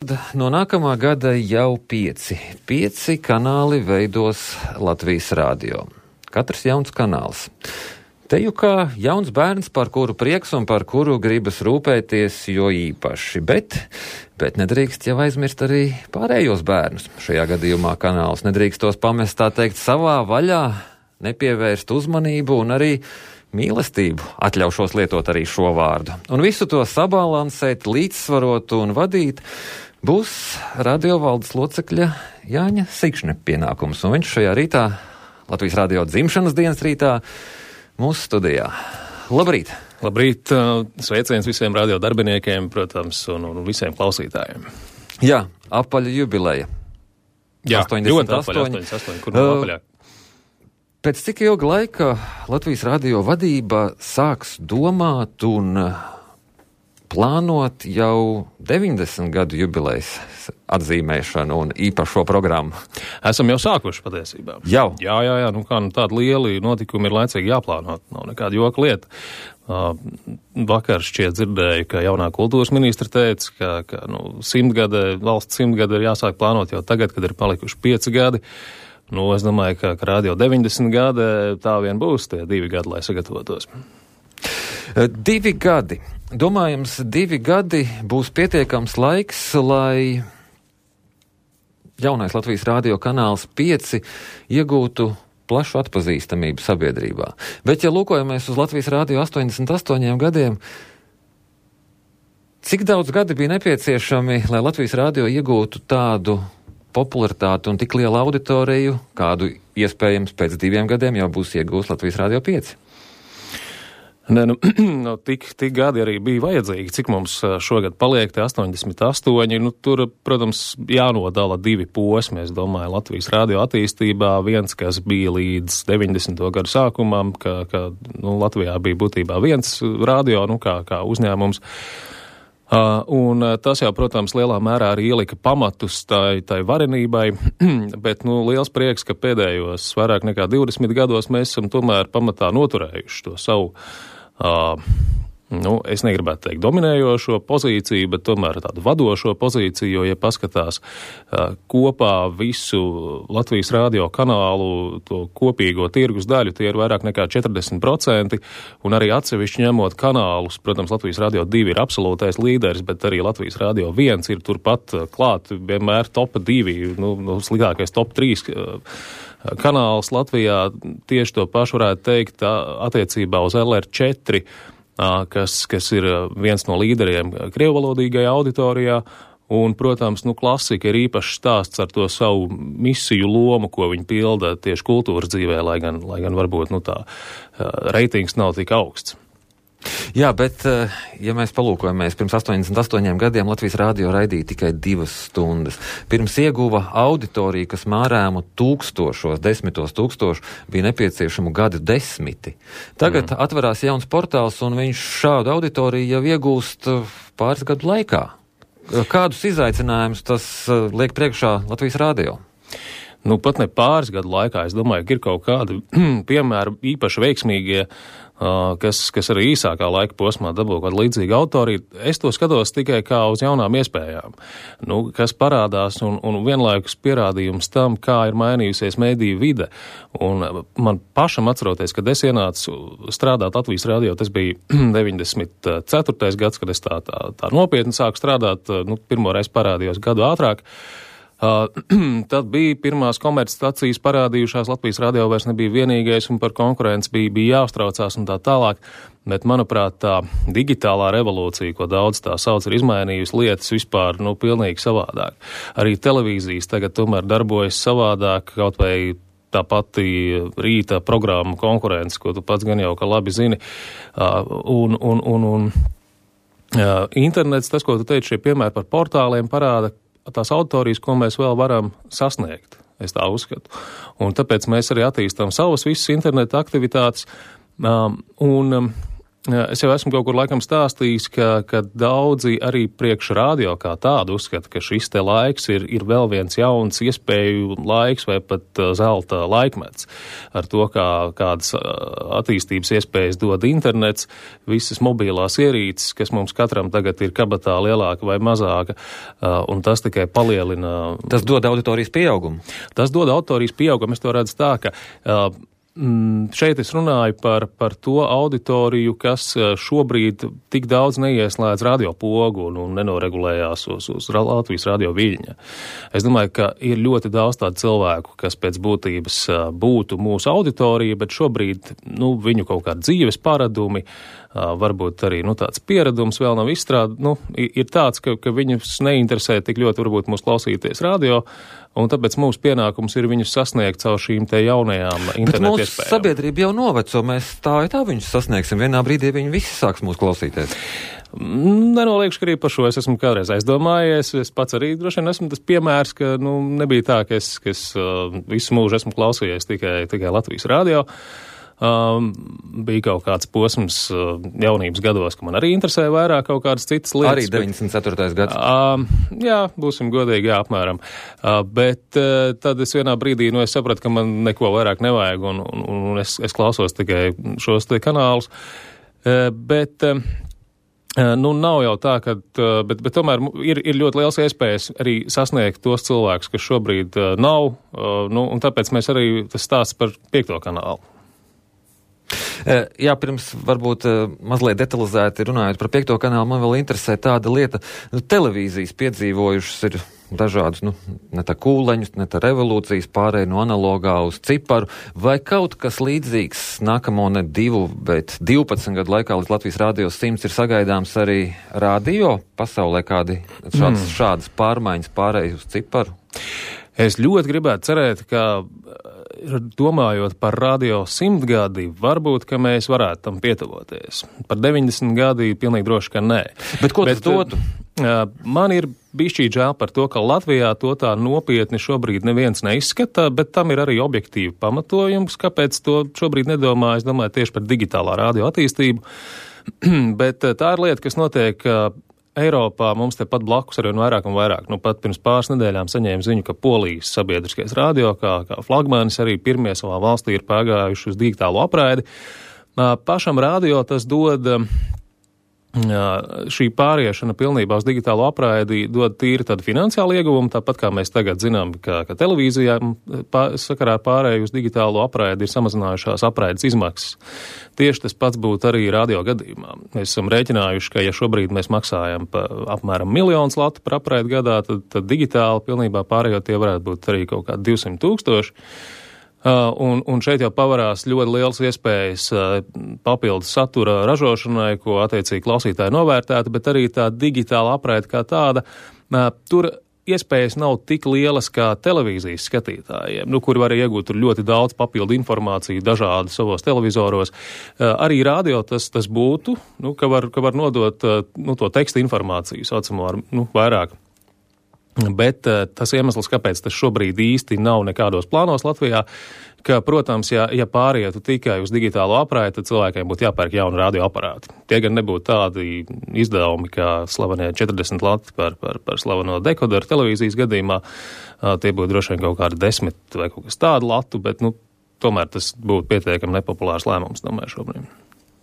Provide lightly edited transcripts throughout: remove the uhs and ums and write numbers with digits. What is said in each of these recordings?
No nākamā gada jau 5 kanāli veidos Latvijas radio. Katrs jauns kanāls. Te jau kā jauns bērns, par kuru prieks un par kuru gribas rūpēties jo īpaši, bet nedrīkst jau aizmirst arī pārējos bērnus. Šajā gadījumā kanāls nedrīkst tos pamest, tā teikt, savā vaļā, nepievērst uzmanību un arī mīlestību, atļaušos lietot arī šo vārdu. Un visu to sabalansēt, līdzsvarot un vadīt būs radiovaldes locekļa Jāņa Sikšņa pienākums. Un viņš šajā rītā, Latvijas radio dzimšanas dienas rītā, mūsu studijā. Labrīt! Labrīt! Sveiciens visiem radio darbiniekiem, protams, un visiem klausītājiem. Jā, apaļa jubileja. Jā, 88. Ļoti apaļa, 88, kur nav apaļāk. Pēc cik ilga laika Latvijas radio vadība sāks domāt un plānot jau 90 gadu jubilejas atzīmēšanu un īpašo programmu? Esam jau sākuši patiesībā. Jau? Jā, tādi lieli notikumi ir laicīgi jāplānot, nav nekāda joka lieta. Vakar šķiet dzirdēju, ka jaunā kultūras ministra teica, ka valsts 100 gada ir jāsāk plānot jau tagad, kad ir palikuši 5 gadi. Es domāju, ka radio 90 gadi tā vien būs tie 2 gadi, lai sagatavotos. 2 gadi. Domājams, 2 gadi būs pietiekams laiks, lai jaunais Latvijas radio kanāls 5 iegūtu plašu atpazīstamību sabiedrībā. Bet, ja lūkojamies uz Latvijas radio 88 gadiem, cik daudz gadi bija nepieciešami, lai Latvijas radio iegūtu tādu popularitāti un tik lielu auditoriju, kādu iespējams pēc 2 gadiem jau būs iegūst Latvijas radio 5? Tik gadi arī bija vajadzīgi, cik mums šogad paliek, te 88. Tur, protams, jānodala 2 posmi, es domāju, Latvijas radio attīstībā. Viens, kas bija līdz 90. gadu sākumam, ka Latvijā bija būtībā viens radio, kā uzņēmums. Un tas jau, protams, lielā mērā arī ielika pamatus tai varenībai, bet liels prieks, ka pēdējos vairāk nekā 20 gados mēs esam tomēr pamatā noturējuši to savu, es negribētu teikt dominējošo pozīciju, bet tomēr tādu vadošo pozīciju, jo, ja paskatās kopā visu Latvijas radio kanālu, to kopīgo tirgus daļu, tie ir vairāk nekā 40%, un arī atsevišķi ņemot kanālus, protams, Latvijas radio 2 ir absolūtais līderis, bet arī Latvijas radio 1 ir turpat klāt, vienmēr top 2, sliktākais top 3 kanāls Latvijā. Tieši to pašu varētu teikt attiecībā uz LR4, kas ir viens no līderiem krievvalodīgajā auditorijā, un, protams, klasika ir īpašs stāsts ar to savu misiju lomu, ko viņi pilda tieši kultūras dzīvē, lai gan varbūt, tā reitings nav tik augsts. Jā, bet, ja mēs palūkojamies, pirms 88 gadiem Latvijas radio raidīja tikai 2 stundas. Pirms ieguva auditoriju, kas mārēmu 10 tūkstošu, bija nepieciešamu gadu 10. Tagad atverās jauns portāls, un viņš šādu auditoriju jau iegūst pāris gadu laikā. Kādus izaicinājumus tas liek priekšā Latvijas radio? Pat ne pāris gadu laikā, es domāju, ka ir kaut kādi piemēri īpaši veiksmīgie, kas arī īsākā laika posmā dabū kādu līdzīgu autoriju. Es to skatos tikai kā uz jaunām iespējām, kas parādās un vienlaikus pierādījums tam, kā ir mainījusies mediju vide. Un man pašam atceroties, kad es ienācu strādāt Latvijas radio, tas bija 94. gads, kad es tā nopietni sāku strādāt, pirmoreiz parādījos gadu ātrāk. Tad bija pirmās komercstacijas parādījušās, Latvijas radio vairs nebija vienīgais un par konkurenci bija jāuztraucās un tā tālāk, bet, manuprāt, tā digitālā revolūcija, ko daudz tā sauc, ir izmainījusi lietas vispār, pilnīgi savādāk. Arī televīzijas tagad tomēr darbojas savādāk, kaut vai tā pati rīta programma konkurence, ko tu pats gan jau ka labi zini, un internets, tas, ko tu teici, šie piemēri par portāliem parāda tās auditorijas, ko mēs vēl varam sasniegt, es tā uzskatu. Un tāpēc mēs arī attīstām savas visas interneta aktivitātes. Un Es jau esmu kaut kur laikam stāstījis, ka daudzi arī priekš radio kā tādu uzskata, ka šis te laiks ir vēl viens jauns iespēju laiks vai pat zelta laikmets. Ar to, kādas attīstības iespējas dod internets, visas mobilās ierīces, kas mums katram tagad ir kabatā lielāka vai mazāka, un tas tikai palielina. Tas dod auditorijas pieaugumu? Tas dod auditorijas pieaugumu. Es to redzu tā, ka šeit es runāju par to auditoriju, kas šobrīd tik daudz neieslēdz radiopogu un nenoregulējās uz Latvijas radio viļņa. Es domāju, ka ir ļoti daudz tādu cilvēku, kas pēc būtības būtu mūsu auditorija, bet šobrīd viņu kaut kādi dzīves paradumi, varbūt arī tāds pieredums vēl nav ir tāds, ka viņus neinteresē tik ļoti varbūt mūs klausīties radio, un tāpēc mūsu pienākums ir viņus sasniegt caur šīm te jaunajām internetu iespējām. Bet mūsu sabiedrība jau noveco, mēs tā viņus sasniegsim, vienā brīdī viņi visi sāks mūs klausīties. Nenoliekšu, ka arī par šo es esmu kādreiz aizdomājies, es pats arī droši vien esmu tas piemērs, ka nebija tā, ka es visu mūžu esmu klausījies tikai Latvijas radio. Bija kaut kāds posms jaunības gados, ka man arī interesēja vairāk kaut kādas citas lietas. Arī 94. gads? Jā, būsim godīgi, jā, apmēram. Bet tad es vienā brīdī, es sapratu, ka man neko vairāk nevajag, un es klausos tikai šos te kanālus. Bet nav jau tā, bet tomēr ir ļoti liels iespējas arī sasniegt tos cilvēkus, kas šobrīd nav, un tāpēc mēs arī tas stāsts par 5. kanālu. Jā, pirms varbūt mazliet detalizēti runājot par 5. kanālu, man vēl interesē tāda lieta. Televīzijas piedzīvojušas ir dažādus, ne tā kūleņus, ne tā revolūcijas pārēj no analogā uz ciparu, vai kaut kas līdzīgs nākamo ne 2, bet 12 gadu laikā līdz Latvijas radio 100 ir sagaidāms arī radio pasaulē kādi šādas pārmaiņas pārēj uz ciparu? Es ļoti gribētu cerēt, ka domājot par radio 100 gadi, varbūt, ka mēs varētu tam pietuvoties. Par 90 gadi pilnīgi droši, ka nē. Bet ko tas dotu? Man ir bišķīt žēl par to, ka Latvijā to tā nopietni šobrīd neviens neizskata, bet tam ir arī objektīvi pamatojums, kāpēc to šobrīd nedomā. Es domāju tieši par digitālā radio attīstību. Bet tā ir lieta, kas notiek Eiropā, mums tepat blakus arī vairāk un vairāk. Pat pirms pāris nedēļām saņēmu ziņu, ka Polijas sabiedriskais radio, kā flagmanis, arī pirmie savā valstī ir pārgājuši uz digitālo apraidi. Pašam radio tas dod, šī pāriešana pilnībā uz digitālo apraidi dod tīri tādu finansiālu ieguvumu, tāpat kā mēs tagad zinām, ka televīzijā sakarā pārēju uz digitālo apraidi ir samazinājušās apraides izmaksas. Tieši tas pats būtu arī radio gadījumā. Mēs esam rēķinājuši, ka ja šobrīd mēs maksājam apmēram 1 000 000 latu par apraidi gadā, tad digitāli pilnībā pārējot tie varētu būt arī kaut kādi 200 000. Un šeit jau pavarās ļoti liels iespējas papildus satura ražošanai, ko attiecīgi klausītāji novērtēta, bet arī tā digitāla apraide kā tāda, tur iespējas nav tik lielas kā televīzijas skatītājiem, kuri var iegūt tur ļoti daudz papildu informāciju dažādi savos televizoros. Arī radio tas būtu, ka var nodot to teksta informāciju, saucamo ar vairāk. Bet tas iemesls, kāpēc tas šobrīd īsti nav nekādos plānos Latvijā, ka, protams, ja pārietu tikai uz digitālo apraidi, tad cilvēkiem būtu jāpērk jauni radioaparāti. Tie gan nebūtu tādi izdevumi, kā slavenie 40 lati par slaveno dekoderu televīzijas gadījumā. Tie būtu droši vien kaut kādi 10 vai kaut kas tādu latu, bet, tomēr tas būtu pietiekami nepopulārs lēmums, domāju, šobrīd.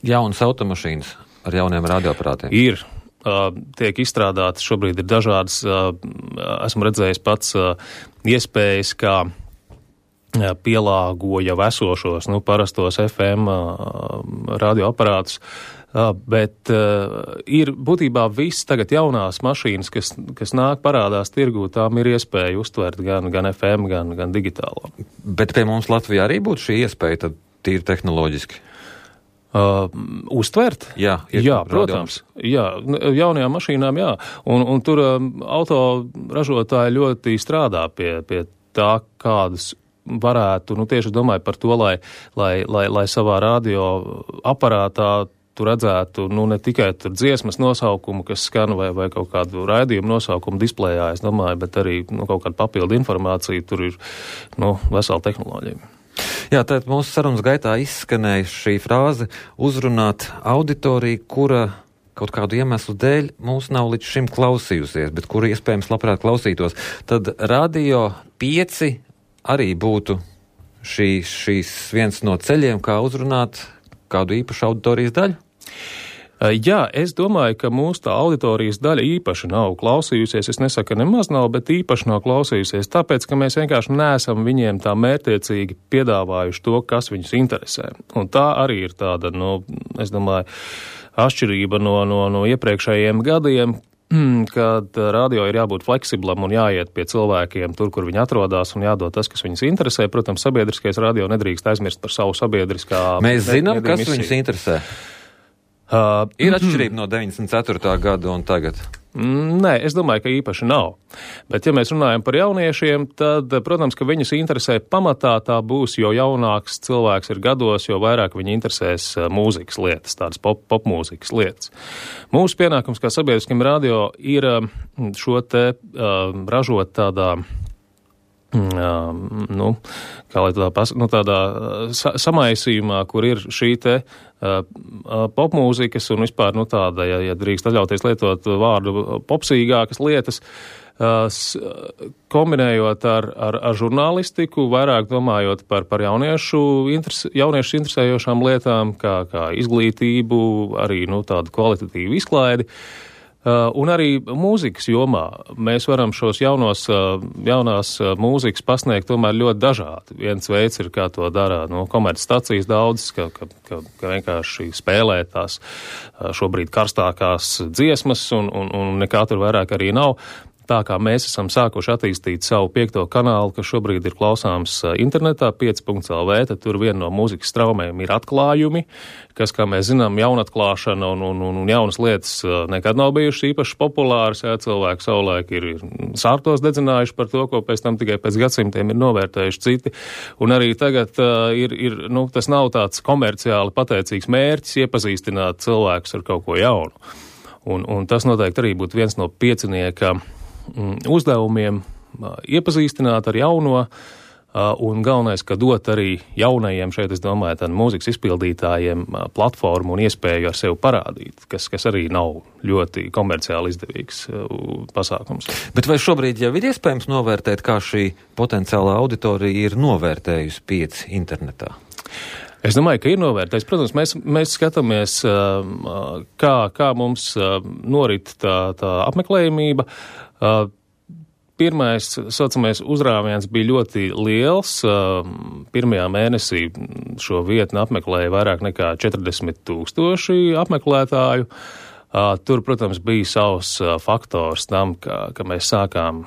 Jaunas automašīnas ar jauniem radioaparātiem? Ir. Tiek izstrādātas, šobrīd ir dažādas, esmu redzējis pats iespējas, kā pielāgo jau esošos, parastos FM radioaparātus, bet ir būtībā viss tagad jaunās mašīnas, kas nāk parādās tirgū, tām ir iespēja uztvert gan FM, gan digitālo. Bet pie mums Latvijā arī būtu šī iespēja tad tīri tehnoloģiski? Uztvert? Jā, protams. Jā, jaunajām mašīnām, jā. Un tur auto ražotāji ļoti strādā pie tā, kādas varētu, tieši domāju par to, lai savā radio aparātā tu redzētu, ne tikai tur dziesmas nosaukumu, kas skan vai kaut kādu raidījumu nosaukumu displejā, es domāju, bet arī kaut kādu papildu informāciju, tur ir, vesela tehnoloģija. Jā, tad mūsu sarunas gaitā izskanēja šī frāze uzrunāt auditoriju, kura kaut kādu iemeslu dēļ mūs nav līdz šim klausījusies, bet kura iespējams labprāt klausītos. Tad Radio 5 arī būtu šīs viens no ceļiem, kā uzrunāt kādu īpašu auditorijas daļu? Jā, es domāju, ka mūsu tā auditorijas daļa īpaši nav klausījusies. Es nesaku, ka nemaz nav, bet īpaši nav klausījusies, tāpēc, ka mēs vienkārši neesam viņiem tā mērķtiecīgi piedāvājuši to, kas viņus interesē. Un tā arī ir tāda, es domāju, atšķirība no iepriekšējiem gadiem, kad radio ir jābūt fleksiblam un jāiet pie cilvēkiem tur, kur viņi atrodas un jādod tas, kas viņus interesē. Protams, sabiedriskais radio nedrīkst aizmirst par savu sabiedriskā... Mēs zinām, kas viņus interesē. Ir atšķirība no 94. gada un tagad? Nē, es domāju, ka īpaši nav. Bet, ja mēs runājam par jauniešiem, tad, protams, ka viņus interesē pamatā tā būs, jo jaunāks cilvēks ir gados, jo vairāk viņi interesēs mūzikas lietas, tādas popmūzikas lietas. Mūsu pienākums kā sabiedriskiem radio ir šo te ražot tādā... tādā samaisījumā, kur ir šī te popmūzikas un vispār, tāda, ja drīkst atļauties lietot vārdu popsīgākas lietas, kombinējot ar žurnālistiku, vairāk domājot par jauniešu interesējošām lietām, kā izglītību, arī, tādu kvalitatīvu izklaidi. Un arī mūzikas jomā mēs varam šos jaunās mūzikas pasniegt tomēr ļoti dažādi. Viens veids ir, kā to dara komercstacijas daudzas, ka vienkārši spēlē tās šobrīd karstākās dziesmas un nekā tur vairāk arī nav. Tā kā mēs esam sākuši attīstīt savu 5. kanālu, kas šobrīd ir klausāms internetā, 5.lv, tad tur viena no mūzikas straumēm ir atklājumi, kas, kā mēs zinām, jaunatklāšana un jaunas lietas nekad nav bijušas īpaši populāras. Jā, cilvēki savulaik ir sārtos dedzinājuši par to, ko pēc tam tikai pēc gadsimtiem ir novērtējuši citi. Un arī tagad tas nav tāds komerciāli pateicīgs mērķis iepazīstināt cilvēkus ar kaut ko jaunu. Un tas noteikti arī būtu viens no piecinieka uzdevumiem iepazīstināt ar jauno, un galvenais, ka dot arī jaunajiem šeit, es domāju, tad mūzikas izpildītājiem platformu un iespēju ar sevi parādīt, kas arī nav ļoti komerciāli izdevīgs pasākums. Bet vai šobrīd jau ir iespējams novērtēt, kā šī potenciālā auditorija ir novērtējusi 5 internetā? Es domāju, ka ir novērtējis. Protams, mēs skatāmies, kā mums norit tā apmeklējumība. Pirmais, saucamais, uzrāviens bija ļoti liels. Pirmajā mēnesī šo vietni apmeklēja vairāk nekā 40,000 apmeklētāju. Tur, protams, bija savs faktors tam, ka mēs sākām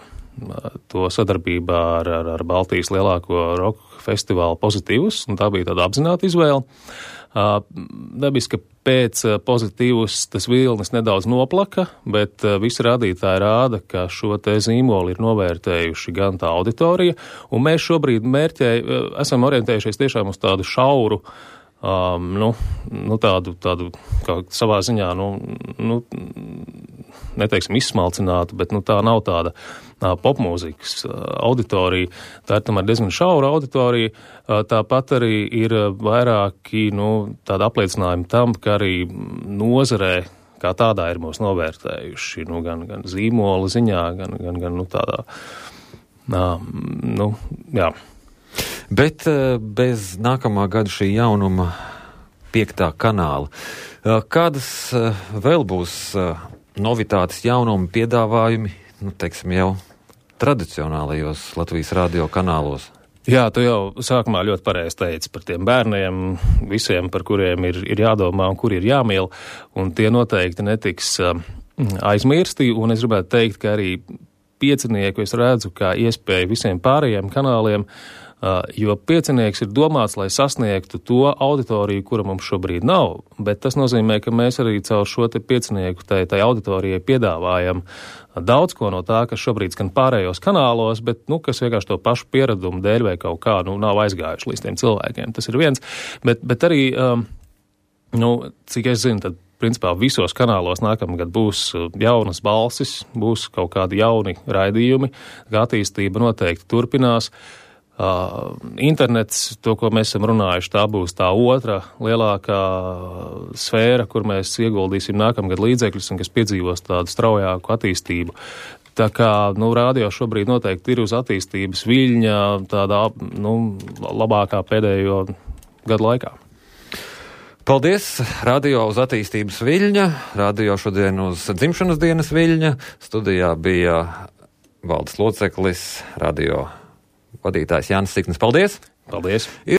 to sadarbībā ar Baltijas lielāko roka festivālu Pozitīvus, un tā bija tāda apzināta izvēle. Dabiski, ka pēc Pozitīvus tas vilnis nedaudz noplaka, bet visi rādītāji rāda, ka šo te zīmoli ir novērtējuši gan tā auditorija, un mēs šobrīd esam orientējušies tiešām uz tādu šauru, tādu kā savā ziņā, neteiksim izsmalcinātu, bet tā nav tāda popmūzikas auditorija. Tā ir tomēr diezgan šaura auditorija. Tāpat arī ir vairāki tādi apliecinājumi tam, ka arī nozarē kā tādā ir mūs novērtējuši, gan zīmola ziņā, gan tādā, jā. Bet bez nākamā gada šī jaunuma 5. kanāla, kādas vēl būs novitātes, jaunumi, piedāvājumi, teiksim, jau tradicionālajos Latvijas radio kanālos? Jā, tu jau sākumā ļoti pareizi teici par tiem bērniem, visiem, par kuriem ir jādomā un kuri ir jāmīl, un tie noteikti netiks aizmirsti, un es gribētu teikt, ka arī piecinieku es redzu kā iespēju visiem pārējiem kanāliem, jo piecinieks ir domāts, lai sasniegtu to auditoriju, kura mums šobrīd nav, bet tas nozīmē, ka mēs arī caur šo te piecinieku tai auditorijai piedāvājam daudz ko no tā, kas šobrīd skan pārējos kanālos, bet, kas vienkārši to pašu pieradumu dēļ vai kaut kā, nav aizgājuši līdz tiem cilvēkiem. Tas ir viens, bet arī, cik es zinu, tad principā visos kanālos nākamgad būs jaunas balsis, būs kaut kādi jauni raidījumi, kā attīstība noteikti turpinās. Internets, to, ko mēs esam runājuši, tā būs tā otra lielākā sfēra, kur mēs ieguldīsim nākamgad līdzekļus un kas piedzīvos tādu straujāku attīstību. Tā kā, radio šobrīd noteikti ir uz attīstības viļņa tādā, labākā pēdējo gadu laikā. Paldies! Radio uz attīstības viļņa, radio šodien uz dzimšanas dienas viļņa. Studijā bija valdes loceklis, radio vadītājs Jānis Siknis. Paldies! Paldies!